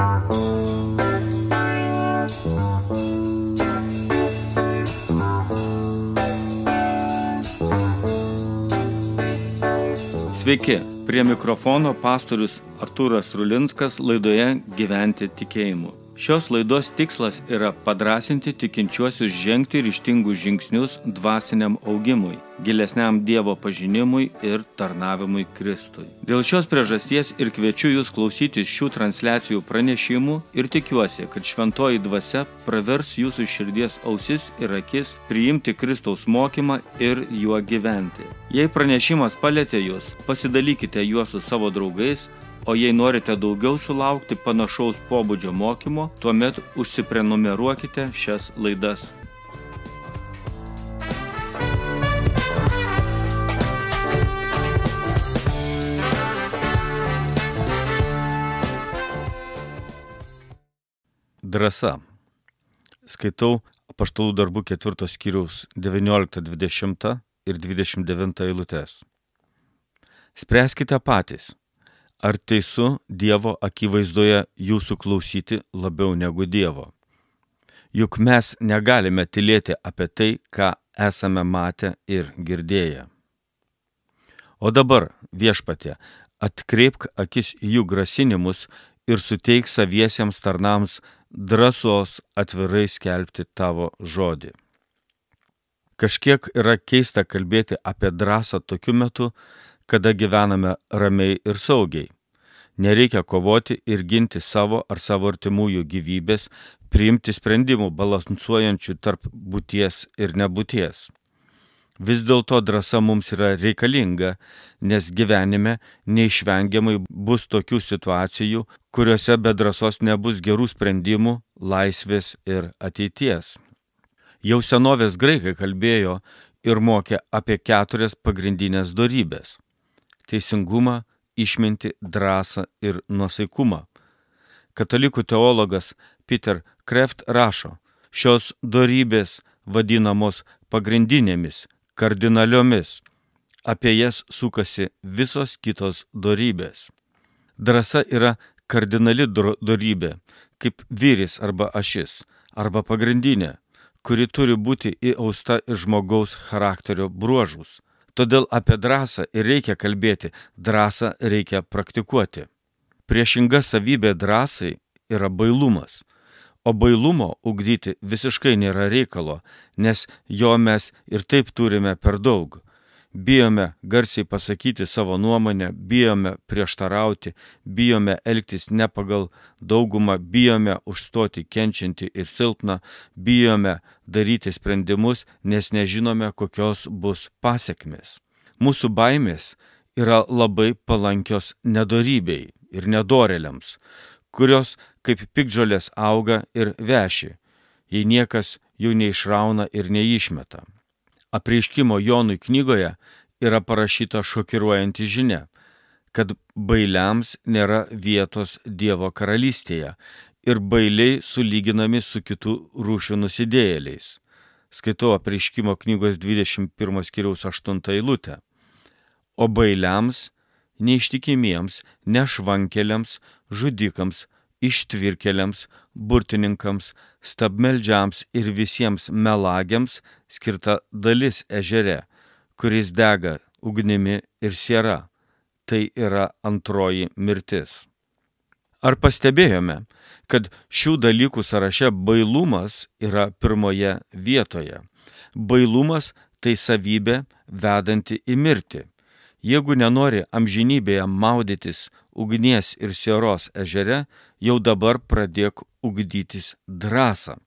Sveiki, prie mikrofono pastorius Artūras Rulinskas laidoje Gyventi tikėjimu. Šios laidos tikslas yra padrąsinti tikinčiuosius žengti ryžtingus žingsnius dvasiniam augimui, gilesniam Dievo pažinimui ir tarnavimui Kristui. Dėl šios priežasties ir kviečiu jūs klausytis šių transliacijų pranešimų ir tikiuosi, kad šventoji dvasia pravers jūsų širdies ausis ir akis priimti Kristaus mokymą ir juo gyventi. Jei pranešimas palietė jūs, pasidalykite juos su savo draugais, o jei norite daugiau sulaukti panašaus pobūdžio mokymo, tuomet užsiprenumeruokite šias laidas. Drąsa. Skaitau Apaštalų darbų 4 skyriaus 19, 20 ir 29 eilutes. Spręskite patys. Ar teisu Dievo akivaizdoje jūsų klausyti labiau negu Dievo? Juk mes negalime tylėti apie tai, ką esame matę ir girdėję. O dabar, Viešpatie, atkreipk akis į jų grasinimus ir suteik saviesiems tarnams drąsos atvirai skelbti tavo žodį. Kažkiek yra keista kalbėti apie drąsą tokiu metu, kada gyvename ramiai ir saugiai. Nereikia kovoti ir ginti savo ar savo artimųjų gyvybės, priimti sprendimų balansuojančių tarp būties ir nebūties. Vis dėlto drąsa mums yra reikalinga, nes gyvenime neišvengiamai bus tokių situacijų, kuriuose be drąsos nebus gerų sprendimų, laisvės ir ateities. Jau senovės graikai kalbėjo ir mokė apie 4 pagrindinės dorybės – teisingumą, išmintį, drąsą ir nuosaikumą. Katalikų teologas Peter Kreeft rašo, šios dorybės vadinamos pagrindinėmis, kardinaliomis. Apie jas sukasi visos kitos dorybės. Drąsa yra kardinali dorybė, kaip vyris arba ašis, arba pagrindinė, kuri turi būti įausta į žmogaus charakterio bruožus. Todėl apie drąsą ir reikia kalbėti, drąsą reikia praktikuoti. Priešinga savybė drąsai yra bailumas, o bailumo ugdyti visiškai nėra reikalo, nes jo mes ir taip turime per daug. Bijome garsiai pasakyti savo nuomonę, bijome prieštarauti, bijome elgtis ne pagal daugumą, bijome užstoti kenčiantį ir silpną, bijome daryti sprendimus, nes nežinome, kokios bus pasekmės. Mūsų baimės yra labai palankios nedorybei ir nedorėliams, kurios kaip piktžolės auga ir veši, jei niekas jų neišrauna ir neišmeta. Apreiškimo Jonui knygoje yra parašyta šokiruojanti žinia, kad bailiams nėra vietos Dievo karalystėje ir bailiai sulyginami su kitų rūšių nusidėjėliais. Skaitau Apreiškimo knygos 21 skyriaus 8 eilutę. O bailiams, neištikimiems, nešvankeliams, žudikams, ištvirkeliams, burtininkams, stabmeldžiams ir visiems melagiams skirta dalis ežere, kuris dega ugnimi ir siera. Tai yra antroji mirtis. Ar pastebėjome, kad šių dalykų sąraše bailumas yra pirmoje vietoje? Bailumas tai savybė vedanti į mirtį. Jeigu nenori amžinybėje maudytis ugnies ir sieros ežere, jau dabar pradėk ugdytis drąsą.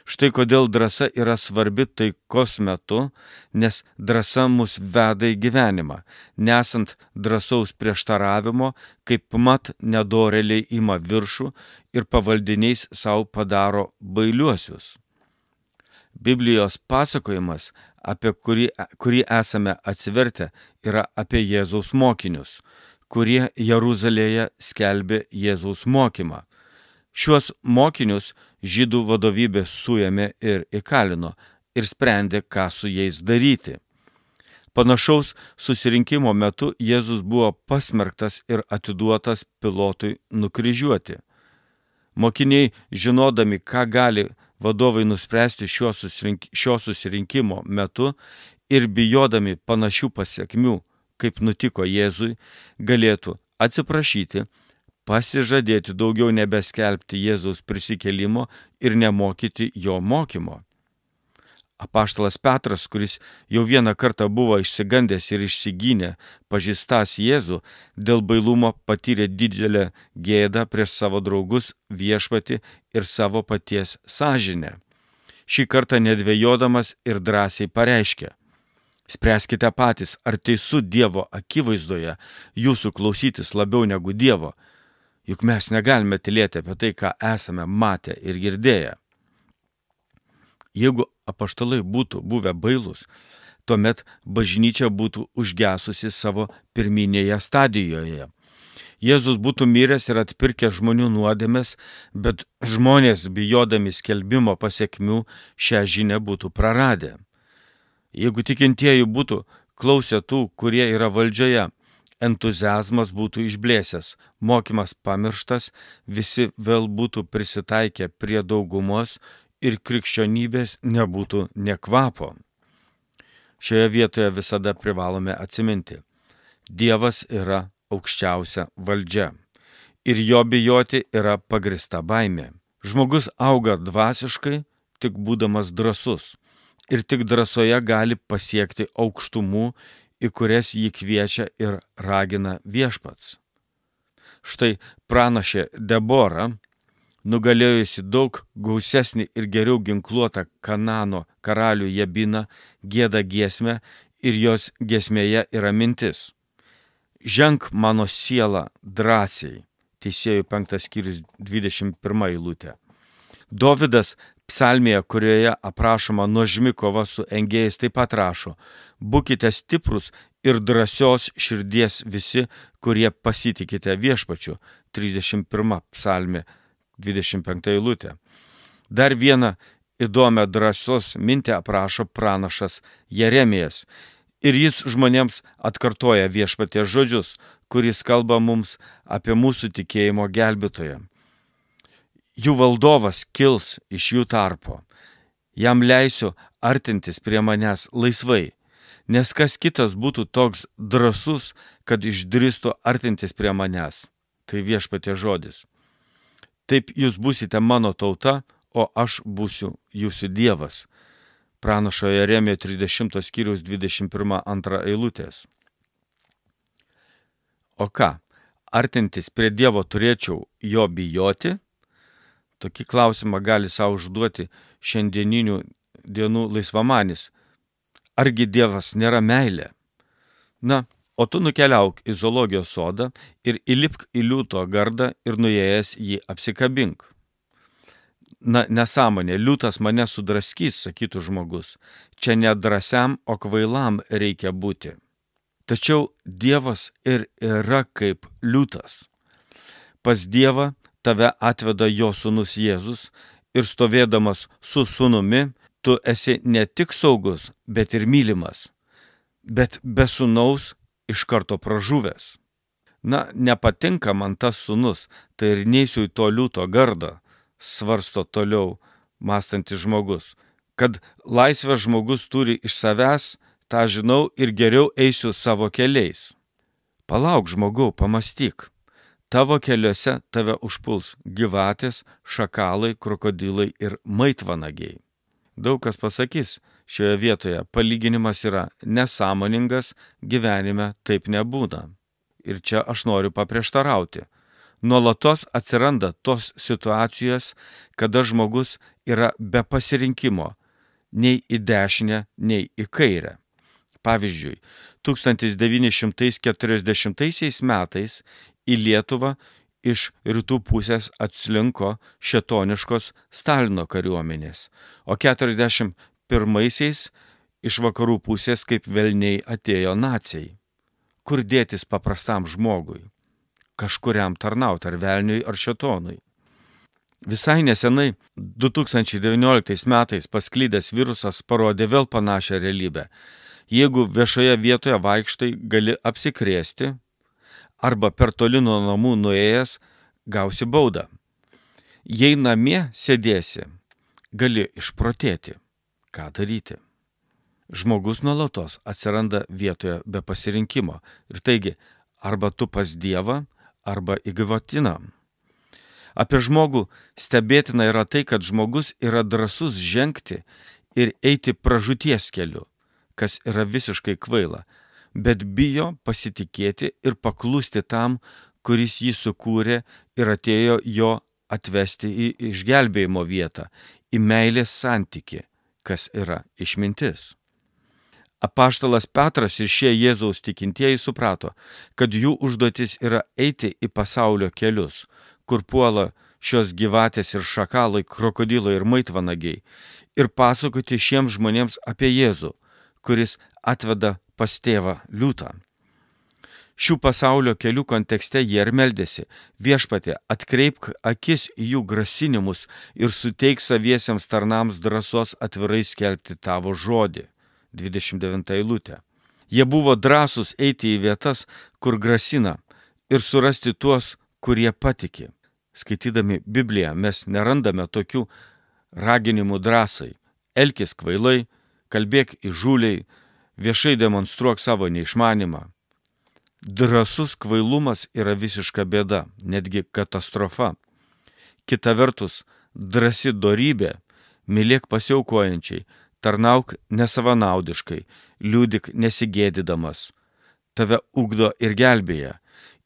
Štai kodėl drąsa yra svarbi taikos metu, nes drąsa mus veda į gyvenimą. Nesant drąsaus prieštaravimo, kaip mat nedorėliai ima viršų ir pavaldiniais savo padaro bailiuosius. Biblijos pasakojimas, apie kurį esame atsivertę, yra apie Jėzaus mokinius, kurie Jeruzalėje skelbė Jėzaus mokymą. Šiuos mokinius žydų vadovybė suėmė ir įkalino ir sprendė, ką su jais daryti. Panašaus susirinkimo metu Jėzus buvo pasmerktas ir atiduotas Pilotui nukryžiuoti. Mokiniai, žinodami, ką gali vadovai nuspręsti šio susirinkimo metu ir bijodami panašių pasiekmių, kaip nutiko Jėzui, galėtų atsiprašyti, pasižadėti daugiau nebeskelbti Jėzaus prisikėlimo ir nemokyti jo mokymo. Apaštalas Petras, kuris jau vieną kartą buvo išsigandęs ir išsigynė, pažįstas Jėzų, dėl bailumo patyrė didelę gėdą prieš savo draugus, Viešpatį ir savo paties sąžinę. Šį kartą nedvejodamas ir drąsiai pareiškė: spręskite patys, ar teisų Dievo akivaizdoje jūsų klausytis labiau negu Dievo, juk mes negalime tylėti apie tai, ką esame matę ir girdėję. Jeigu apaštalai būtų buvę bailūs, tuomet bažnyčia būtų užgesusi savo pirminėje stadijoje. Jėzus būtų miręs ir atpirkęs žmonių nuodėmes, bet žmonės, bijodami skelbimo pasiekmių, šią žinią būtų praradę. Jeigu tikintieji būtų klausę tų, kurie yra valdžioje, entuziazmas būtų išblėsęs, mokymas pamirštas, visi vėl būtų prisitaikę prie daugumos ir krikščionybės nebūtų nė kvapo. Šioje vietoje visada privalome atsiminti: Dievas yra aukščiausia valdžia ir jo bijoti yra pagrįsta baimė. Žmogus auga dvasiškai tik būdamas drąsus ir tik drąsoje gali pasiekti aukštumų, į kurias jį kviečia ir ragina Viešpats. Štai pranašė Debora, nugalėjusi daug gausesnį ir geriau ginkluotą Kanano karalių Jabiną, gieda giesmę ir jos giesmėje yra mintis: ženk mano siela drąsiai. Teisėjų 5 skyrius 21 eilutė. Dovydas psalmėje, kurioje aprašoma nuožmi kova su engėjais, taip pat rašo: būkite stiprus ir drąsios širdies visi, kurie pasitikite Viešpačiu. 31 psalmė 25 eilutė. Dar vieną įdomią drąsos mintį aprašo pranašas Jeremijas. Ir jis žmonėms atkartoja Viešpaties žodžius, kuris kalba mums apie mūsų tikėjimo gelbėtoją. Jų valdovas kils iš jų tarpo. Jam leisiu artintis prie manęs laisvai, nes kas kitas būtų toks drąsus, kad išdrįstų artintis prie manęs. Tai Viešpaties žodis. Taip jūs būsite mano tauta, o aš būsiu jūsų Dievas. Pranašo Jeremijo 30 skyriaus 21-2 eilutės. O ką, artintis prie Dievo turėčiau jo bijoti? Tokį klausimą gali savo užduoti šiandieninių dienų laisvamanis. Argi Dievas nėra meilė? Na, o tu nukeliauk į zoologijos sodą ir įlipk į liūto gardą ir nuėjęs jį apsikabink. Na, nesąmonė, liūtas mane sudraskys, sakytų žmogus. Čia ne drąsiam, o kvailam reikia būti. Tačiau Dievas ir yra kaip liūtas. Pas Dievą tave atveda jo sūnus Jėzus ir stovėdamas su sūnumi, tu esi ne tik saugus, bet ir mylimas. Bet be sūnaus iš karto pražuvęs. Na, nepatinka man tas sūnus, tai ir neisiu į to liūto gardą, svarsto toliau mąstantis žmogus. Kad laisvę žmogus turi iš savęs, tą žinau ir geriau eisiu savo keliais. Palauk, žmogau, pamąstyk. Tavo keliuose tave užpuls gyvatės, šakalai, krokodilai ir maitvanagiai. Daug kas pasakys šioje vietoje, palyginimas yra nesąmoningas, gyvenime taip nebūna. Ir čia aš noriu paprieštarauti. Nuolatos atsiranda tos situacijos, kada žmogus yra be pasirinkimo, nei į dešinę, nei į kairę. Pavyzdžiui, 1940 metais į Lietuvą iš rytų pusės atslinko šėtoniškos Stalino kariuomenės, o 1941 iš vakarų pusės kaip velniai atėjo naciai. Kur dėtis paprastam žmogui? Kažkuriam tarnaut, ar velniui, ar šėtonui. Visai nesenai, 2019 metais pasklydęs virusas parodė vėl panašią realybę. Jeigu viešoje vietoje vaikštai, gali apsikrėsti, arba per toli nuo namų nuėjęs gausi baudą. Jei namie sėdėsi, gali išprotėti. Ką daryti? Žmogus nuolatos atsiranda vietoje be pasirinkimo. Ir taigi, arba tu pas Dievą, arba į gyvatiną. Apie žmogų stebėtina yra tai, kad žmogus yra drąsus žengti ir eiti pražūties keliu, kas yra visiškai kvaila, bet bijo pasitikėti ir paklusti tam, kuris jį sukūrė ir atėjo jo atvesti į išgelbėjimo vietą, į meilės santykį, kas yra išmintis. Apaštalas Petras ir šie Jėzaus tikintieji suprato, kad jų užduotis yra eiti į pasaulio kelius, kur puola šios gyvatės ir šakalai, krokodilai ir maitvanagiai, ir pasakoti šiems žmonėms apie Jėzų, kuris atveda pas tėvą liūtą. Šių pasaulio kelių kontekste jie ir meldėsi: Viešpatie, atkreipk akis į jų grasinimus ir suteik saviesiems tarnams drąsos atvirai skelbti tavo žodį. 29 eilutė. Jie buvo drąsūs eiti į vietas, kur grasina, ir surasti tuos, kurie patiki. Skaitydami Bibliją mes nerandame tokių raginimų drąsai: elkis kvailai, kalbėk įžūliai, viešai demonstruok savo neišmanimą. Drąsus kvailumas yra visiška bėda, netgi katastrofa. Kita vertus, drąsi dorybė: mylėk pasiaukojančiai, tarnauk nesavanaudiškai, liudyk nesigėdydamas. Tave ugdo ir gelbėja,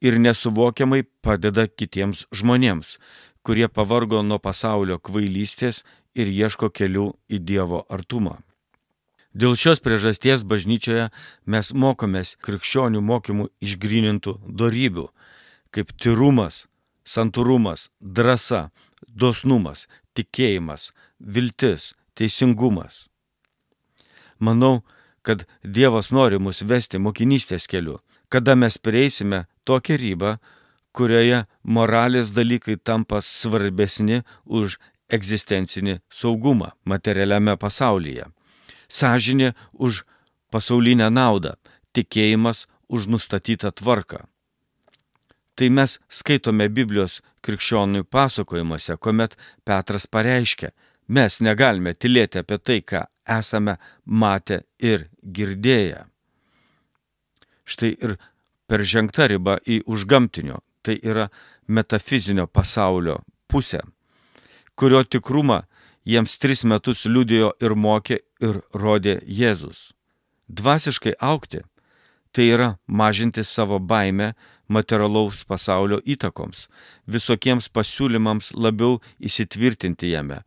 ir nesuvokiamai padeda kitiems žmonėms, kurie pavargo nuo pasaulio kvailystės ir ieško kelių į Dievo artumą. Dėl šios priežasties bažnyčioje mes mokomės krikščionių mokymų išgrynintų dorybių, kaip tyrumas, santūrumas, drąsa, dosnumas, tikėjimas, viltis, teisingumas. Manau, kad Dievas nori mus vesti mokinystės keliu, kada mes prieisime tokią ribą, kurioje moralės dalykai tampa svarbesni už egzistencinį saugumą materialiame pasaulyje. Sąžinė už pasaulinę naudą, tikėjimas už nustatytą tvarką. Tai mes skaitome Biblijos krikščionių pasakojimuose, kuomet Petras pareiškia: mes negalime tylėti apie tai, ką esame matę ir girdėję. Štai ir peržengta riba į užgamtinio, tai yra metafizinio pasaulio pusę, kurio tikrumą jiems 3 metus liudijo ir mokė ir rodė Jėzus. Dvasiškai augti – tai yra mažinti savo baimę materialaus pasaulio įtakoms, visokiems pasiūlymams labiau įsitvirtinti jame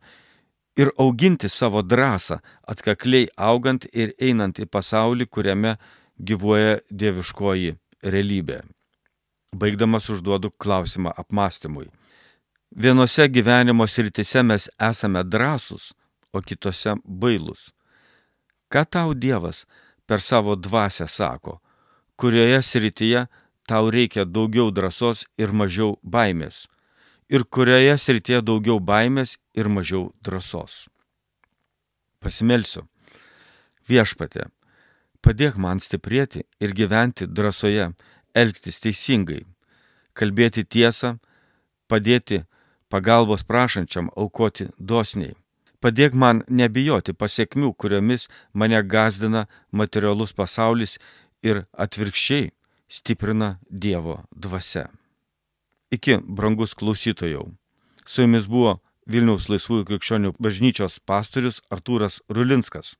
ir auginti savo drąsą, atkakliai augant ir einant į pasaulį, kuriame gyvuoja dieviškoji realybė. Baigdamas užduodu klausimą apmąstymui. Vienose gyvenimo srityse mes esame drąsūs, o kitose bailūs. Ką tau Dievas per savo dvasią sako, kurioje srityje tau reikia daugiau drąsos ir mažiau baimės, ir kurioje srityje daugiau baimės ir mažiau drąsos? Pasimelsiu. Viešpatie, padėk man stiprėti ir gyventi drąsoje, elgtis teisingai, kalbėti tiesą, padėti pagalbos prašančiam aukoti dosniai. Padėk man nebijoti pasekmių, kuriomis mane gąsdina materialus pasaulis ir atvirkščiai stiprina Dievo dvasia. Iki, brangus klausytojau. Su jumis buvo Vilniaus Laisvųjų krikščionių bažnyčios pastorius Artūras Rulinskas.